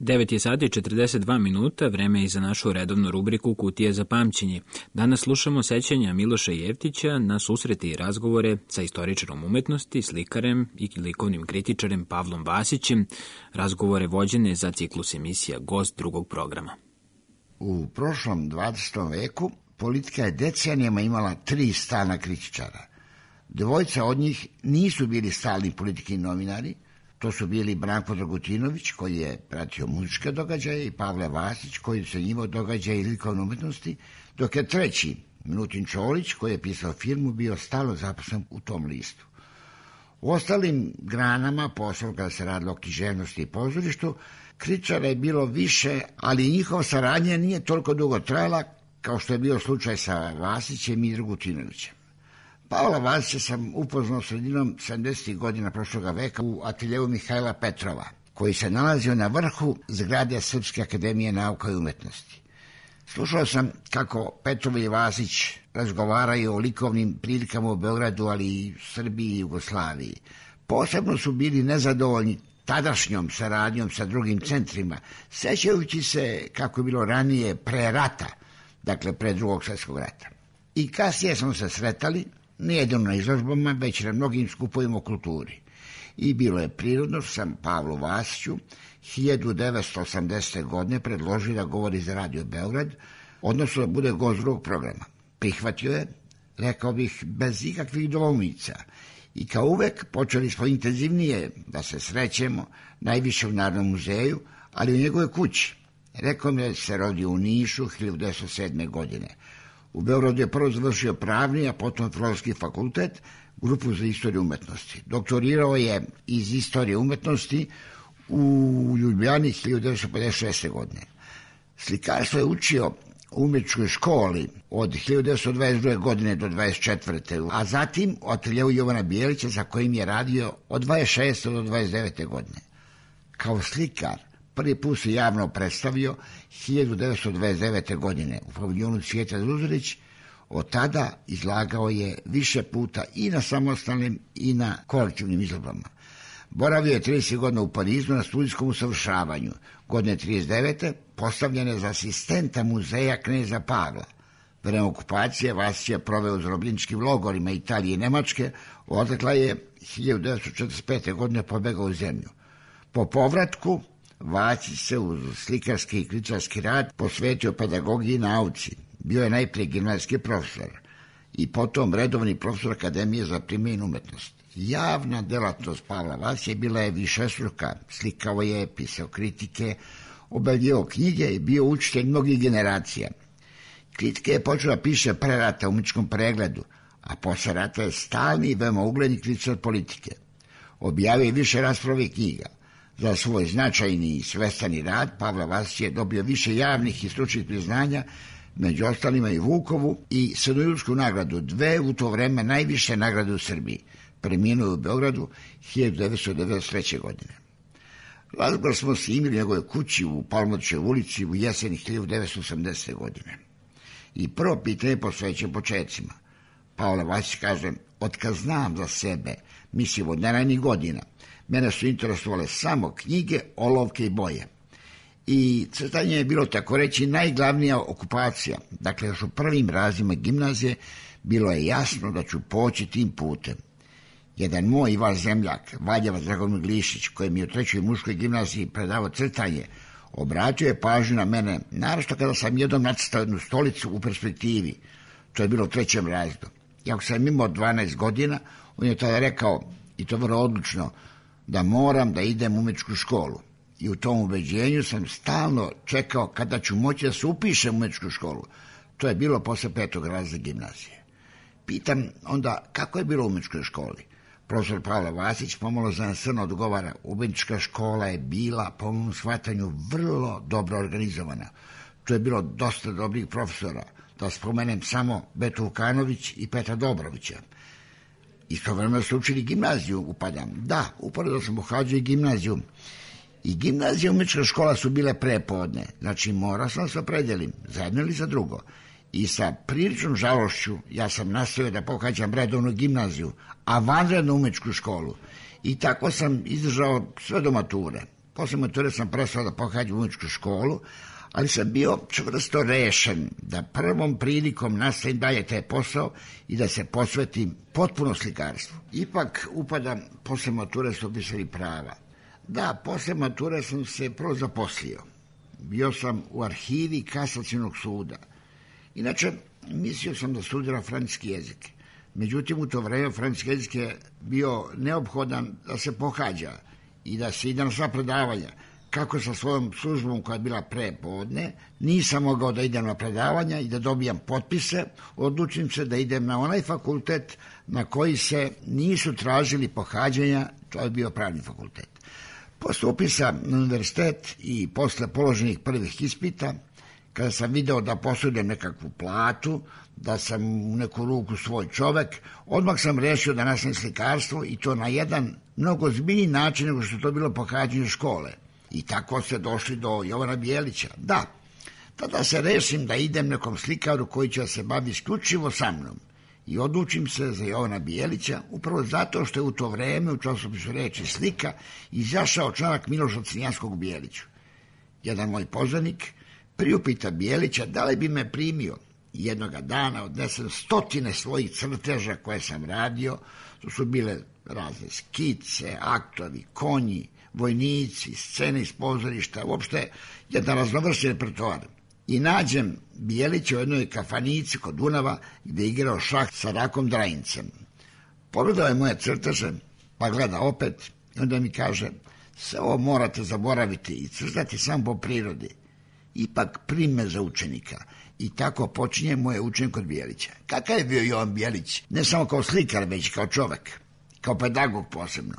Devet je sati 42 minuta, vreme je za našu redovnu rubriku Kutija za pamćenje. Danas slušamo sećanja Miloša Jeftića na susrete i razgovore sa istoričarom umetnosti, slikarem i likovnim kritičarem Pavlom Vasićem, razgovore vođene za ciklus emisija Gost drugog programa. U prošlom 20. veku politika je decenijama imala 3 stalna kritičara. Dvojica od njih nisu bili stalni politički novinari. To su bili Branko Dragutinović, koji je pratio muzičke događaje, i Pavle Vasić, koji se njimao događaje i likovne umetnosti, dok je treći, Milutin Čolić, koji je pisao filmu, bio stalno zaposlen u tom listu. U ostalim granama posla, kada se radilo o književnosti i pozorištu, kritičara je bilo više, ali njihova saradnja nije toliko dugo trajala kao što je bio slučaj sa Vasićem i Dragutinovićem. Pavla Vasića sam upoznao sredinom 70. godina prošloga veka u ateljevu Mihajla Petrova, koji se nalazio na vrhu zgrade Srpske akademije nauka i umetnosti. Slušao sam kako Petrov i Vasić razgovaraju o likovnim prilikama u Beogradu, ali i Srbiji i Jugoslaviji. Posebno su bili nezadovoljni tadašnjom saradnjom sa drugim centrima, sećajući se kako je bilo ranije pre rata, dakle pre Drugog svjetskog rata. I kasnije smo se sretali, ne jedino na izložbama, već na mnogim skupovima o kulturi. I bilo je prirodno što sam Pavlu Vasiću 1980. godine predložio da govori za Radio Beograd, odnosno da bude gost drugog programa. Prihvatio je, rekao bih, bez ikakvih dvoumica. I kao uvek počeli smo intenzivnije da se srećemo, najviše u Narodnom muzeju, ali u njegovoj kući. Rekao mi je da se rodio u Nišu 1907. godine. U Beogradu je prvo završio pravni, a potom filozofski fakultet, grupu za istoriju umetnosti. Doktorirao je iz istorije umetnosti u Ljubljani 1956. godine. Slikarstvo je učio u umjetničkoj školi od 1922. godine do 1924. a zatim u ateljevu Jovana Bijelića, za kojim je radio od 26. do 29. godine. Kao slikar prvi put se javno predstavio 1929. godine u paviljonu Cvijeta Zuzorić. Od tada izlagao je više puta i na samostalnim i na kolektivnim izložbama. Boravio je 30 godina u Parizu na studijskom usavršavanju. Godine 1939. postavljen je za asistenta muzeja kneza Pavla. Vreme okupacije Vasić je proveo u zarobljeničkim logorima Italije i Nemačke, odakle je 1945. godine pobegao u zemlju. Po povratku Vasić se uz slikarski i kritičarski rad posvetio pedagogiji i nauci. Bio je najprije gimnazijski profesor i potom redovni profesor Akademije za primjenu umetnosti. Javna delatnost Pavla Vasića bila je višestruka, slikao je, pisao kritike, objavljivao knjige i bio učitelj mnogih generacija. Kritike je počeo da piše pre rata u Umetničkom pregledu, a posle rata je stalni i veoma ugledni kritičar politike. Objavio je više rasprave knjiga. Za svoj značajni i svestani rad Pavle Vasić je dobio više javnih i stručnih priznanja, među ostalima i Vukovu i Srednjojursku nagradu, 2 u to vreme najviše nagrade u Srbiji. Preminuo u Beogradu 1993. godine. Razgovor smo se imali u njegove kući u Palmovićevoj ulici u jeseni 1980. godine. I prvo pitanje posvećeno početcima. Pavle Vasić kaže, otkad znam za sebe, mislim od najranijih godina, mene su interesovale samo knjige, olovke i boje. I crtanje je bilo tako reći najglavnija okupacija. Dakle, još u prvim razredima gimnazije bilo je jasno da ću poći tim putem. Jedan moj i vaš zemljak, Valjevac Dragomir Glišić, koji mi je u 3. muškoj gimnaziji predavao crtanje, obratio je pažnju na mene, naročito kada sam jednom nacrtao jednu stolicu u perspektivi. To je bilo u 3. razredu. Jako sam imao 12 godina, on je tada rekao, i to vrlo odlučno, da moram da idem u umetničku školu. I u tom ubeđenju sam stalno čekao kada ću moći da se upišem u umetničku školu. To je bilo posle 5. razreda gimnazije. Pitam onda kako je bilo u umetničkoj školi. Profesor Pavle Vasić pomalo zanesrno odgovara, umetnička škola je bila, po mom shvatanju, vrlo dobro organizovana. Tu je bilo dosta dobrih profesora, da spomenem samo Betu Vukanović i Petra Dobrovića. Istovremeno su učili gimnaziju, upadam. Da, uporedo sam pohađao i gimnaziju. I gimnazija i umetnička škola su bile prepodne, znači morao sam se opredelim, za jedno ili za drugo. I sa priličnom žalošću ja sam nastavio da pohađam redovnu gimnaziju, a vanrednu umetničku školu. I tako sam izdržao sve do mature. Posle mature sam prestao da pohađam umetničku školu, ali sam bio čvrsto rešen da prvom prilikom nastavim dalje taj posao i da se posvetim potpuno slikarstvu. Ipak upadam, posle mature su opisali prava. Da, posle mature sam se prvo zaposlio. Bio sam u arhivi Kasacionog suda. Inače, mislio sam da studiram francuski jezik. Međutim, u to vreme francuski jezik je bio neophodan da se pohađa i da se ide na sva predavanja. Kako sa svojom službom koja je bila prepodne, nisam mogao da idem na predavanja i da dobijam potpise, odlučim se da idem na onaj fakultet na koji se nisu tražili pohađanja, to je bio pravni fakultet. Posle upisa na univerzitet i posle položenih prvih ispita, kada sam video da posudim nekakvu platu, da sam u neku ruku svoj čovek, odmah sam rešio da nastavim slikarstvo i to na jedan mnogo zbiljniji način nego što je to bilo pohađanje škole. I tako ste došli do Jovana Bijelića. Da, tada se rešim da idem nekom slikaru koji će se baviti isključivo sa mnom. I odlučim se za Jovana Bijelića, upravo zato što je u to vreme u časopisu Reč i slika izašao članak Miloša Crnjanskog o Bijeliću. Jedan moj poznanik priupita Bijelića da li bi me primio. Jednoga dana odnesem stotine svojih crteža koje sam radio, to su bile razne skice, aktovi, konji, vojnici, scene iz pozorišta, uopšte jedan raznovrsni repertoar. I nađem Bijelića u jednoj kafanici kod Dunava gde je igrao šah sa Rakom Drajincem. Pogledao je moje crteže, pa gleda opet i onda mi kaže, sve ovo morate zaboraviti i crtati samo po prirodi. Ipak prime za učenika. I tako počinje moje učenje kod Bijelića. Kakav je bio Jovan Bijelić? Ne samo kao slikar, već kao čovek, kao pedagog posebno.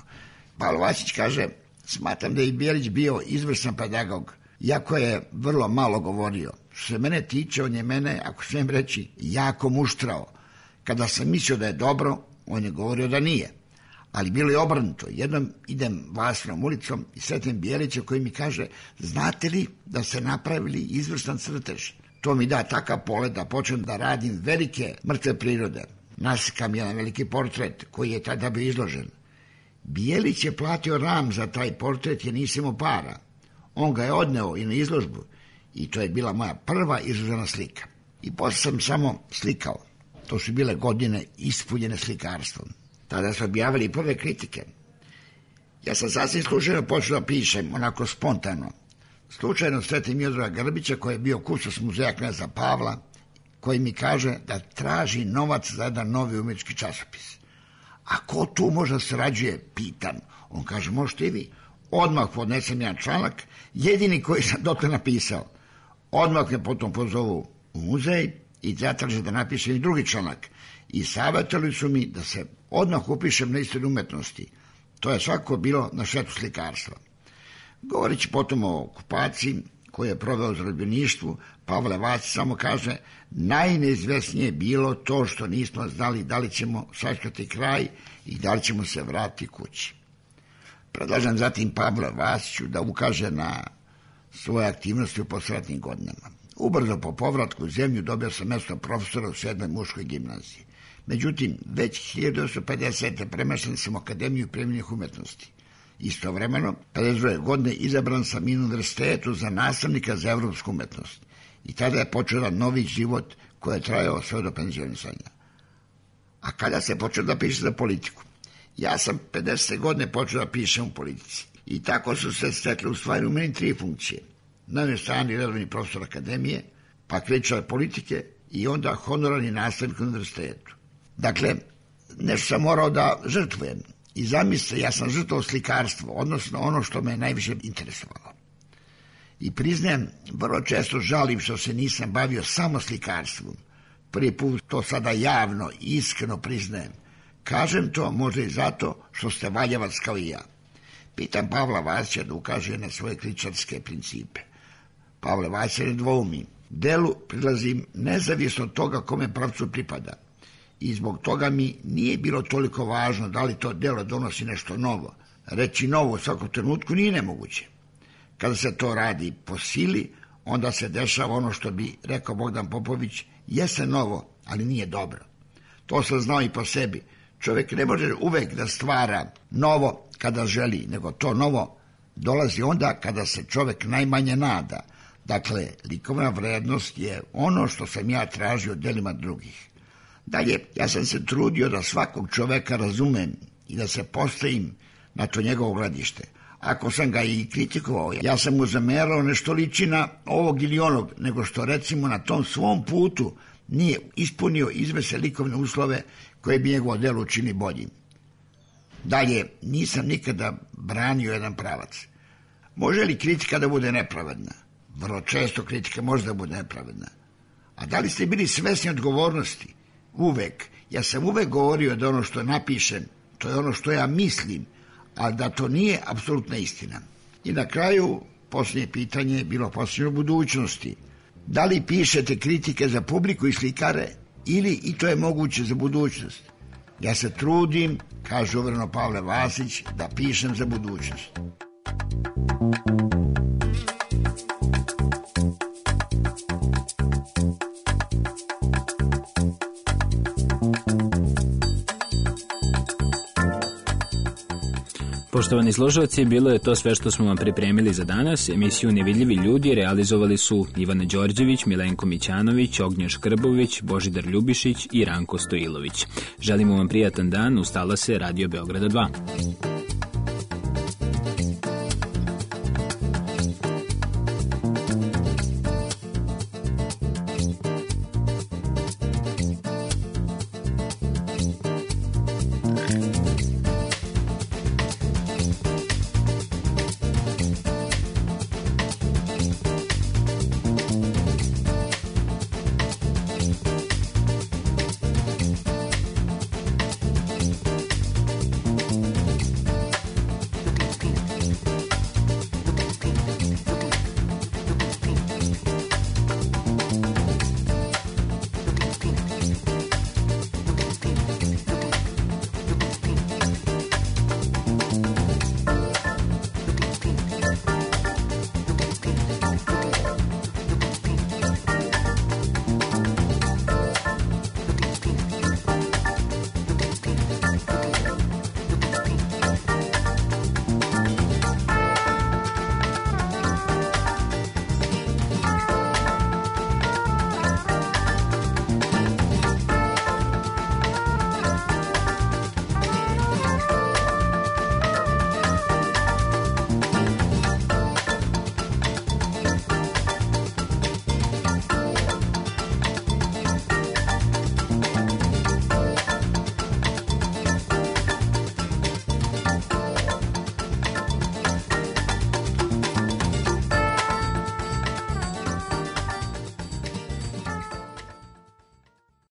Pavle Vasić kaže, smatram da je Bijelić bio izvrstan pedagog, iako je vrlo malo govorio. Što se mene tiče, on je mene, ako smijem reći, jako muštrao. Kada sam mislio da je dobro, on je govorio da nije. Ali bilo je obrnuto. Jednom idem Vasinom ulicom i sretim Bijelića koji mi kaže, znate li da ste napravili izvrstan crtež? To mi da takav polet da počnem da radim velike mrtve prirode. Naslikam jedan veliki portret koji je tada bio izložen. Bijelić je platio ram za taj portret jer nisam imao para. On ga je odneo i na izložbu i to je bila moja prva izložena slika. I posle sam samo slikao. To su bile godine ispunjene slikarstvom. Tada su objavili prve kritike. Ja sam sasvim slučajno počeo da pišem, onako spontano. Slučajno sretim Miodraga Grbića koji je bio kustos muzeja kneza Pavla, koji mi kaže da traži novac za jedan novi umetnički časopis. A ko tu možda sarađuje, pitam. On kaže, možete i vi. Odmah podnesem jedan članak, jedini koji sam dotle napisao. Odmah me potom pozovu u muzej i zatraže da napišem i drugi članak. I savjetovali su mi da se odmah upišem na istoriju umetnosti. To je svakako bilo na štetu slikarstva. Govoreći potom o okupaciji koju je proveo u zarobljeništvu, Pavle Vasić samo kaže, najneizvesnije je bilo to što nismo znali da li ćemo sačekati kraj i da li ćemo se vratiti kući. Predlažem zatim Pavle Vasiću da ukaže na svoje aktivnosti u posratnim godinama. Ubrzo po povratku u zemlju dobio sam mjesto profesora u 7. muškoj gimnaziji. Međutim, već 1950. premešten sam u Akademiju primjenih umetnosti. Istovremeno, 52. godine izabran sam i na univerzitetu za nastavnika za evropsku umetnost. I tada je počeo novi život koji je trajao sve do penzionisanja. A kada se počeo da piše za politiku? Ja sam 50. godine počeo da pišem u politici. I tako su se stekle u stvari u meni 3 funkcije. Na jednoj strani redovni profesor akademije, pa kritičar politike i onda honorarni nastavnik u univerzitetu. Dakle, nešto sam morao da žrtvujem. I zamislite, ja sam žrtvovao slikarstvo, odnosno ono što me najviše interesovalo. I priznajem, vrlo često žalim što se nisam bavio samo slikarstvom. Prvi put to sada javno i iskreno priznajem. Kažem to možda i zato što ste valjavac kao i ja. Pitam Pavla Vasića da ukaže na svoje kritičarske principe. Pavle Vasić ne dvoumi. Delu prilazim nezavisno od toga kome pravcu pripada. I zbog toga mi nije bilo toliko važno da li to delo donosi nešto novo. Reći novo u svakom trenutku nije nemoguće. Kada se to radi po sili, onda se dešava ono što bi rekao Bogdan Popović, jeste novo, ali nije dobro. To sam znao i po sebi. Čovjek ne može uvek da stvara novo kada želi, nego to novo dolazi onda kada se čovjek najmanje nada. Dakle, likovna vrednost je ono što sam ja tražio delima drugih. Dalje, ja sam se trudio da svakog čoveka razumem i da se postavim na to njegovo gledište. Ako sam ga i kritikovao, ja sam mu zamerao nešto liči na ovog ili onog, nego što recimo na tom svom putu nije ispunio izvesne likovne uslove koje bi njegovo delo učini boljim. Dalje, nisam nikada branio jedan pravac. Može li kritika da bude nepravedna? Vrlo često kritika može da bude nepravedna. A da li ste bili svesni odgovornosti? Uvek. Ja sam uvek govorio da ono što napišem, to je ono što ja mislim, a da to nije apsolutna istina. I na kraju, posljednje pitanje je bilo posljednje u budućnosti. Da li pišete kritike za publiku i slikare ili i to je moguće za budućnost? Ja se trudim, kaže uvereno Pavle Vasić, da pišem za budućnost. Poštovani slušalci, bilo je to sve što smo vam pripremili za danas. Emisiju Nevidljivi ljudi realizovali su Ivana Đorđević, Milenko Mićanović, Ognjen Škrbović, Božidar Ljubišić i Ranko Stojilović. Želimo vam prijatan dan, ustala se Radio Beograda 2.